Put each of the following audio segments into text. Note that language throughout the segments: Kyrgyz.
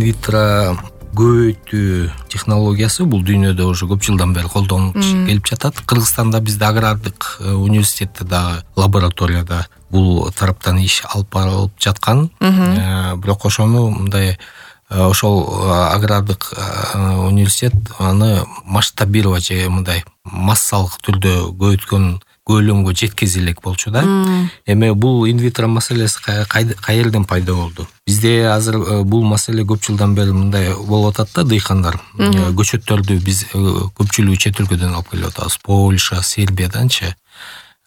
инвитро көбөйтүү технологиясы бул дүйнөдө уже көп жылдан бери колдонулуп келип жатат. Кыргызстанда бизде агрардык университетте дагы лабораторияда бул тараптан иш алып барылып жаткан. Бирок ошону мындай ошол агрардык университет аны масштабировать же мындай массалык түрдө көбөйткөн көлөмгө жеткизе элек болчу да. Эми бул инвитро маселеси каерден пайда болду? Бизде азыр бул маселе көп жылдан бери мындай болуп атат да, дыйкандар көчөттөрдү биз көпчүлүгү чет өлкөдөн алып келип атабыз. Польша, Сербияданчы.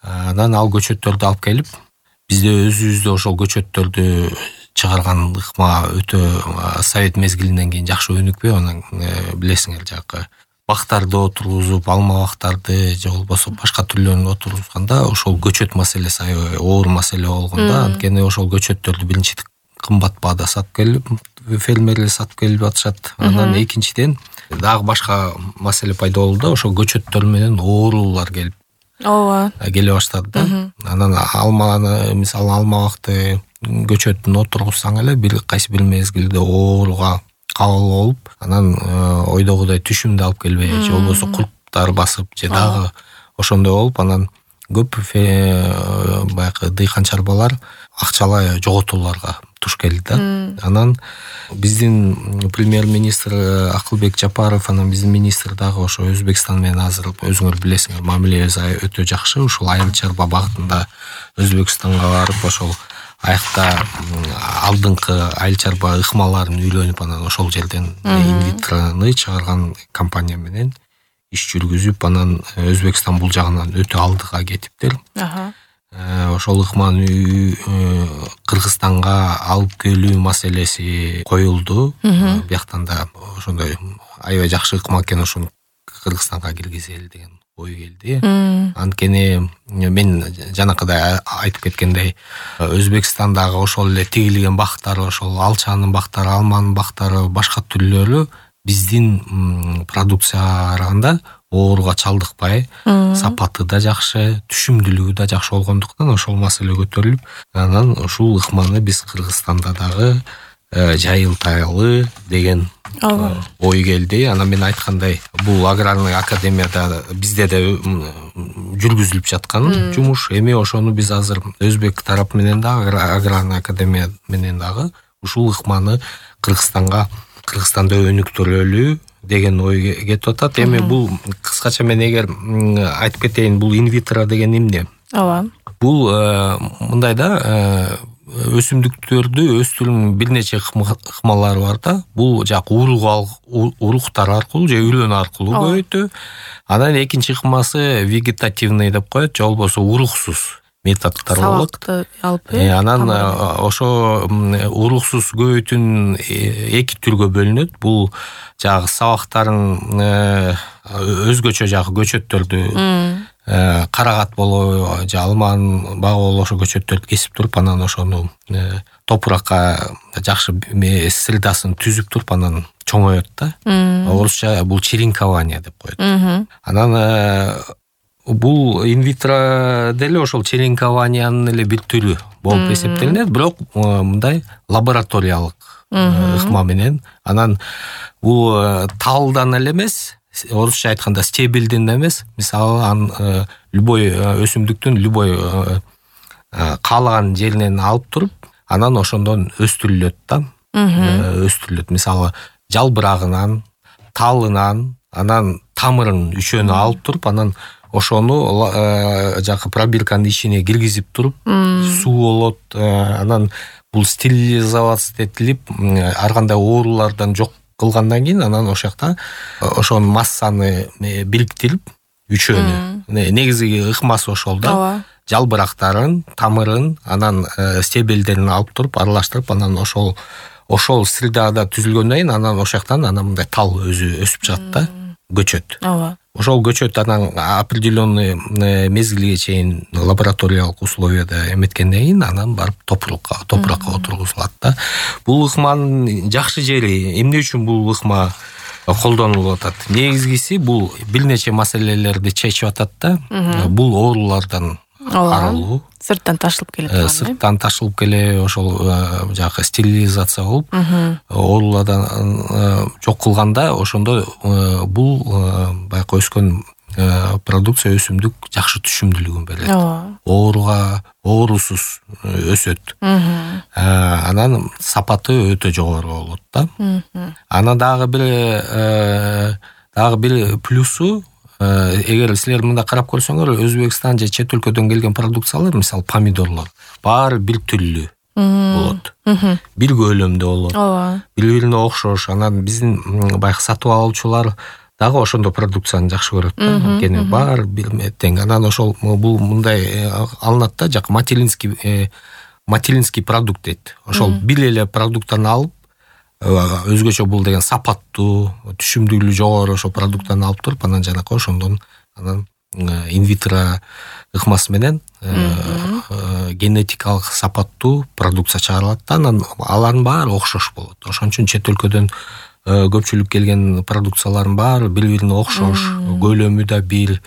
Анан ал көчөттөрдү алып келип, бизде өзүбүздө ошол көчөттөрдү чыгарган ыкма өтө совет мезгилинен кийин жакшы өнүкпөй, анан билесиңер жакы бактарды отургузуп, алма бактарды же болбосо башка түрлөрүн отургузганда ошол көчөт маселеси аябай оор маселе болгон да. Анткени ошол көчөттөрдү биринчи кымбат баада сатып келип, фермерлер сатып келип атышат. Анан экинчиден дагы башка маселе пайда болду да, ошол көчөттөр менен оорулар келип келе баштады да. Анан алманы, мисалы алма бакты көчөтүн отургузсаң эле кайсы бир мезгилде ооруга кабыл болуп, анан ойдогудай түшүмдү алып келбей, же болбосо курттар басып, же дагы ошондой болуп, анан көп баягы дыйкан чарбалар акчалай жоготууларга туш келди да. Анан биздин премьер-министр Акылбек Жапаров, анан биздин министр дагы ошо Өзбекстан менен азыр өзүңөр билесиңер, мамилебиз өтө жакшы. Ушул айыл чарба багытында Өзбекстанга барып, ошол аякта алдыңкы айыл чарба ыкмаларын үйлөнүп, анан ошол жерден инвитроны чыгарган компания менен иш жүргүзүп, анан Өзбекстан бул жагынан өтө алдыга кетиптир. Ошол ыкманы Кыргызстанга алып келүү маселеси коюлду. Бияктан да ошондой аябай жакшы ыкма экен, ошону Кыргызстанга киргизели деген ой келди. Анткени мен жанакыдай айтып кеткендей, Өзбекстандагы ошол эле тигилген бактар, ошол алчанын бактары, алманын бактары, башка түрлөрү биздин продукцияга караганда ооруга чалдыкпай, сапаты да жакшы, түшүмдүүлүгү да жакшы болгондуктан ошол маселе көтөрүлүп, анан ушул ыкманы биз Кыргызстанда дагы жайылтайлы деген ой келди. Анан мен айткандай, бул аграрный академияда бизде да жүргүзүлүп жаткан жумуш. Эми ошону биз азыр Өзбек тарап менен дагы, аграрный академия менен дагы ушул ыкманы Кыргызстанда өнүктүрөлү деген ой кетип атат. Эми бул кыскача мен эгер айтып кетейин, бул инвитро деген эмне? Бул мындай да, өсүмдүктөрдү өстүрүүнүн бир нече ыкмалары бар да. Бул жак уруктар аркылуу же үйлөнүү аркылуу көбөйтүү. Анан экинчи ыкмасы вегетативный деп коет, же болбосо уруксуз методдор болот. Сабакты алып, анан ошо уруксуз көбөйтүүнүн эки түргө бөлүнөт. Бул жагы сабактарын өзгөчө жагы көчөттөрдү карагат болобу же алманын багы болобу ошо көчөттөрдү кесип туруп, анан ошону топуракка жакшы средасын түзүп туруп, анан чоңоет да. Орусча бул черенкование деп коет. Анан бул инвитро деле ошол черенкованиянын эле бир түрү болуп эсептелинет, бирок мындай лабораториялык ыкма менен. Анан бул талдан эле эмес, орусча айтканда стебелден эмес, мисалы любой өсүмдүктүн любой каалаган жеринен алып туруп, анан ошондон өстүрүлөт да. Өстүрүлөт. Мисалы жалбырагынан, талынан, анан тамырын үчөөнү алып туруп, анан ошону жакы пробирканын ичине киргизип туруп, суу болот, анан бул стерилизация этилип, ар кандай оорулардан жок кылгандан кийин, анан ошол жакта ошонун массаны бириктирип, үчөөнү, негизги ыкмасы ошол да. Жалбырактарын, тамырын, анан стебелдерин алып туруп, аралаштырып, анан ошол средада түзүлгөндөн кийин, анан ошол жактан мындай тал өзү өсүп чыгат да, көчөт. Ошол көчөт анан определенный мезгилге чейин лабораториялык условияда эметкенден кийин, анан барып топуракка отургузулат да. Бул ыкманын жакшы жери эмне үчүн бул ыкма колдонулуп атат? Негизгиси бул бир нече маселелерди чечип атат да. Бул оорулардан арылуу. Сырттан ташылып келет. Сырттан ташылып келе ошол жагы стерилизация болуп, оорулардан жок кылганда ошондо бул баягы өскөн продукция өсүмдүк жакшы түшүмдүүлүгүн берет. Оорусуз өсөт. Анан сапаты өтө жогору болот да. Анан дагы бир плюсу, эгер силер мында карап көрсөңөр, Өзбекстан же чет өлкөдөн келген продукциялар, мисалы помидорлор, баары бир түрлүү болот. Бир көлөмдө болот. Бири-бирине окшош. Анан биздин баягы сатып алуучулар дагы ошондой продукцияны жакшы көрөт да. Анткени баары бир тең. Анан ошол бул мындай алынат да, жак материнский продукт дейт. Ошол бир эле продукттан алып, өзгөчө бул деген сапаттуу, түшүмдүүлүгү жогору ошол продукттан алып туруп, анан жанакы ошондон анан инвитро ыкмасы менен генетикалык сапаттуу продукция чыгарылат да. Анан алардын баары окшош болот. Ошон үчүн чет өлкөдөн көпчүлүк келген продукциялардын баары бири-бирине окшош, көлөмү да бир,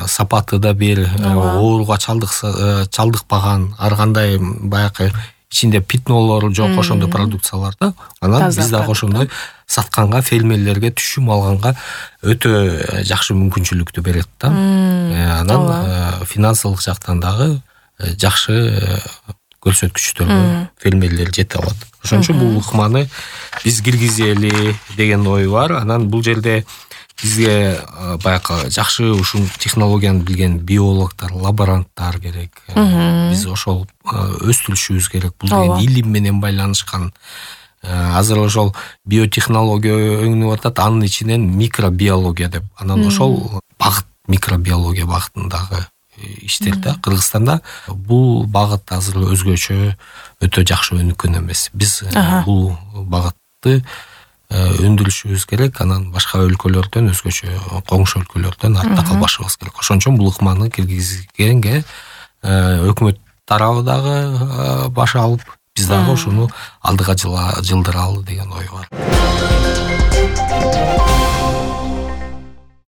сапаты да бир, ооруга чалдыкпаган, ар кандай баягы ичинде питнолору жок ошондой продукциялар да. Анан биз дагы ошондой сатканга, фермерлерге түшүм алганга өтө жакшы мүмкүнчүлүктү берет да. Анан финансылык жактан дагы жакшы көрсөткүчтөргө фермерлер жете алат. Ошон үчүн бул ыкманы биз киргизели деген ой бар. Анан бул жерде бизге баягы жакшы ушул технологияны билген биологдор, лаборанттар керек. Биз ошол өстүрүшүбүз керек. Бул деген илим менен байланышкан. Азыр ошол биотехнология өңүнүп атат, анын ичинен микробиология деп. Анан ошол багыт микробиология багытындагы иштер да. Кыргызстанда бул багыт азыр өзгөчө өтө жакшы өнүккөн эмес. Биз бул багытты өндүрүшүбүз керек. Анан башка өлкөлөрдөн, өзгөчө коңшу өлкөлөрдөн артта калбашыбыз керек. Ошон үчүн бул ыкманы киргизгенге өкмөт тарабы дагы баш алып, биз дагы ушуну алдыга жылдыралы деген ой бар.